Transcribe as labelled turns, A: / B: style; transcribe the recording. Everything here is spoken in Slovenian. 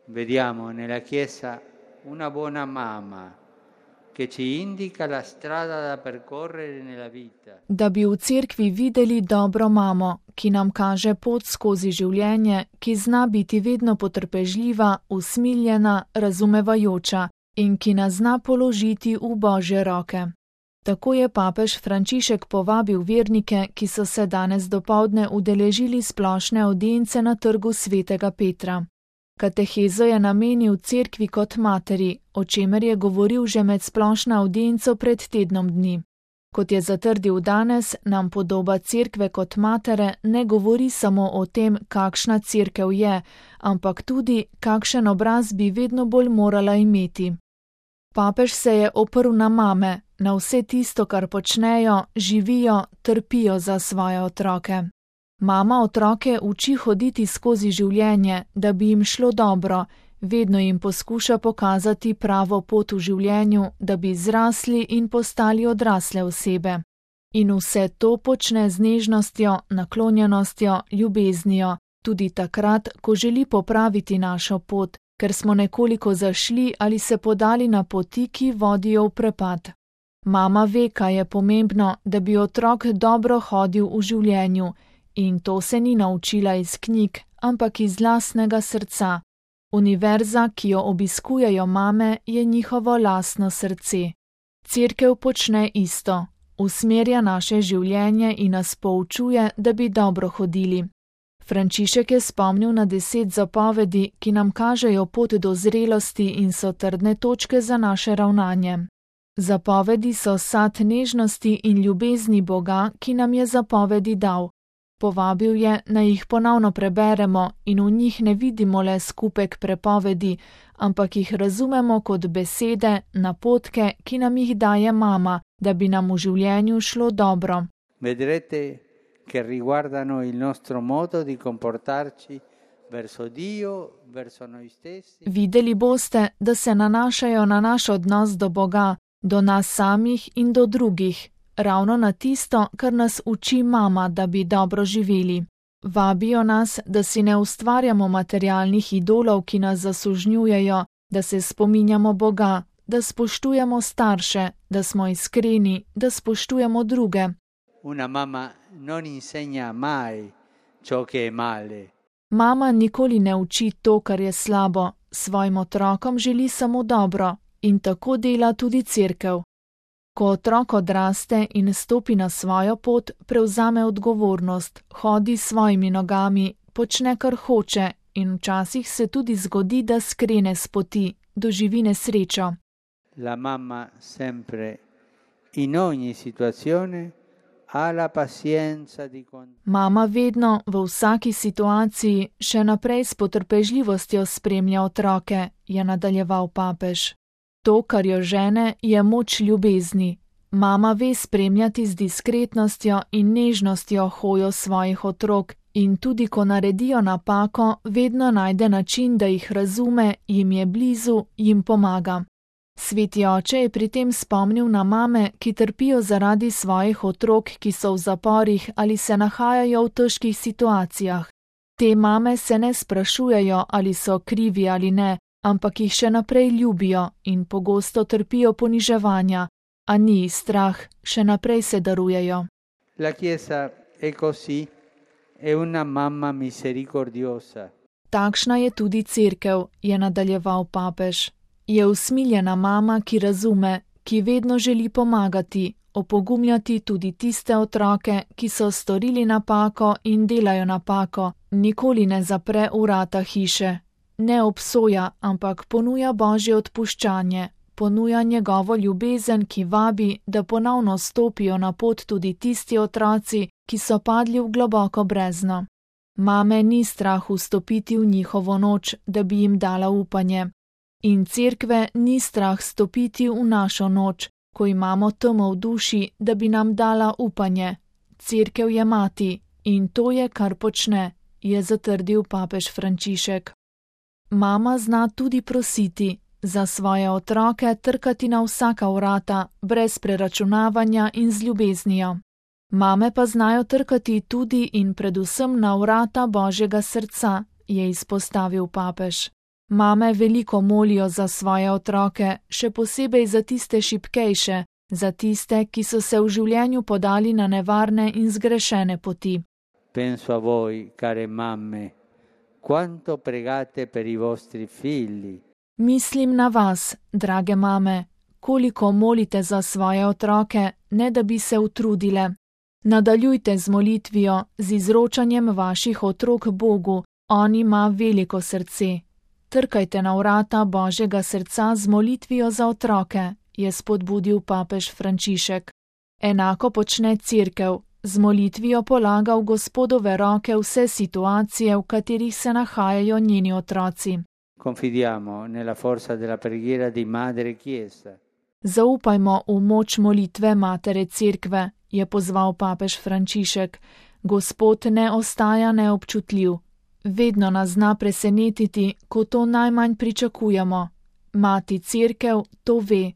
A: Vediamo nella Chiesa una buona mamma che ci indica la strada da percorrere nella vita.
B: Da bi v cerkvi videli dobro mamo, ki nam kaže pot skozi življenje, ki zna biti vedno potrpežljiva, usmiljena, razumevajoča in ki nas zna položiti v Božje roke. Tako je papež Frančišek povabil vernike, ki so se danes dopoldne udeležili splošne avdience na trgu svetega Petra. Katehezo je namenil cerkvi kot materi, o čemer je govoril že med splošno avdienco pred tednom dni. Kot je zatrdil danes, nam podoba cerkve kot matere ne govori samo o tem, kakšna cerkev je, ampak tudi, kakšen obraz bi vedno bolj morala imeti. Papež se je oprl na mame, na vse tisto, kar počnejo, živijo, trpijo za svoje otroke. Mama otroke uči hoditi skozi življenje, da bi jim šlo dobro, vedno jim poskuša pokazati pravo pot v življenju, da bi zrasli in postali odrasle osebe. In vse to počne z nežnostjo, naklonjenostjo, ljubeznijo, tudi takrat, ko želi popraviti našo pot, ker smo nekoliko zašli ali se podali na poti, ki vodijo v prepad. Mama ve, kaj je pomembno, da bi otrok dobro hodil v življenju, in to se ni naučila iz knjig, ampak iz lastnega srca. Univerza, ki jo obiskujejo mame, je njihovo lastno srce. Cerkev počne isto, usmerja naše življenje in nas poučuje, da bi dobro hodili. Frančišek je spomnil na 10 zapovedi, ki nam kažejo pot do zrelosti in so trdne točke za naše ravnanje. Zapovedi so sad nežnosti in ljubezni Boga, ki nam je zapovedi dal. Povabil je, naj jih ponovno preberemo in v njih ne vidimo le skupek prepovedi, ampak jih razumemo kot besede, napotke, ki nam jih daje mama, da bi nam v življenju šlo dobro.
A: Vedrete che riguardano il nostro modo di comportarci verso Dio, verso noi stessi.
B: Videli boste, da se nanašajo na naš odnos do Boga, do nas samih in do drugih, ravno na tisto, kar nas uči mama, da bi dobro živeli. Vabijo nas, da si ne ustvarjamo materialnih idolov, ki nas zasužnjujejo, da se spominjamo Boga, da spoštujemo starše, da smo iskreni, da spoštujemo druge.
A: Una mamma non insegna mai ciò che è male.
B: Mama nikoli ne uči to, kar je slabo, svojim otrokom želi samo dobro in tako dela tudi cerkev. Ko otrok odraste in stopi na svojo pot, prevzame odgovornost, hodi s svojimi nogami, počne, kar hoče in včasih se tudi zgodi, da skrene s poti, doživi nesrečo.
A: La mamma sempre, in ogni situazione, ha la pazienza di
B: Mama vedno, v vsaki situaciji, še naprej s potrpežljivostjo spremlja otroke, je nadaljeval papež. To, kar jo žene, je moč ljubezni. Mama ve spremljati z diskretnostjo in nežnostjo hojo svojih otrok in tudi ko naredijo napako, vedno najde način, da jih razume, jim je blizu, jim pomaga. Sveti oče je pri tem spomnil na mame, ki trpijo zaradi svojih otrok, ki so v zaporih ali se nahajajo v težkih situacijah. Te mame se ne sprašujejo, ali so krivi ali ne, ampak jih še naprej ljubijo in pogosto trpijo poniževanja, a ni jih strah, še naprej se darujejo.
A: La Chiesa è così, è una mamma misericordiosa.
B: Takšna je tudi cerkev, je nadaljeval papež. Je usmiljena mama, ki razume, ki vedno želi pomagati, opogumljati tudi tiste otroke, ki so storili napako in delajo napako, nikoli ne zapre vrata hiše. Ne obsoja, ampak ponuja Božje odpuščanje, ponuja njegovo ljubezen, ki vabi, da ponovno stopijo na pot tudi tisti otroci, ki so padli v globoko brezno. Mame ni strah vstopiti v njihovo noč, da bi jim dala upanje. In cerkve ni strah stopiti v našo noč, ko imamo temo v duši, da bi nam dala upanje. Cerkev je mati in to je, kar počne, je zatrdil papež Frančišek. Mama zna tudi prositi, za svoje otroke trkati na vsaka vrata, brez preračunavanja in z ljubeznijo. Mame pa znajo trkati tudi in predvsem na vrata Božjega srca, je izpostavil papež. Mame veliko molijo za svoje otroke, še posebej za tiste šibkejše, za tiste, ki so se v življenju podali na nevarne in zgrešene poti.
A: Penso a voi, care mamme, quanto pregate per i vostri figli.
B: Mislim na vas, drage mame, koliko molite za svoje otroke, ne da bi se utrudile. Nadaljujte z molitvijo, z izročanjem vaših otrok Bogu, on ima veliko srce. Trkajte na vrata Božjega srca z molitvijo za otroke, je spodbudil papež Frančišek. Enako počne Cerkev, z molitvijo polaga v Gospodove roke vse situacije, v katerih se nahajajo njeni otroci.
A: Confidiamo nella forza della preghiera di Madre Chiesa.
B: Zaupajmo v moč molitve Matere Cerkve, je pozval papež Frančišek. Gospod ne ostaja neobčutljiv. Vedno nas zna presenetiti, ko to najmanj pričakujemo. Mati Cerkev to ve.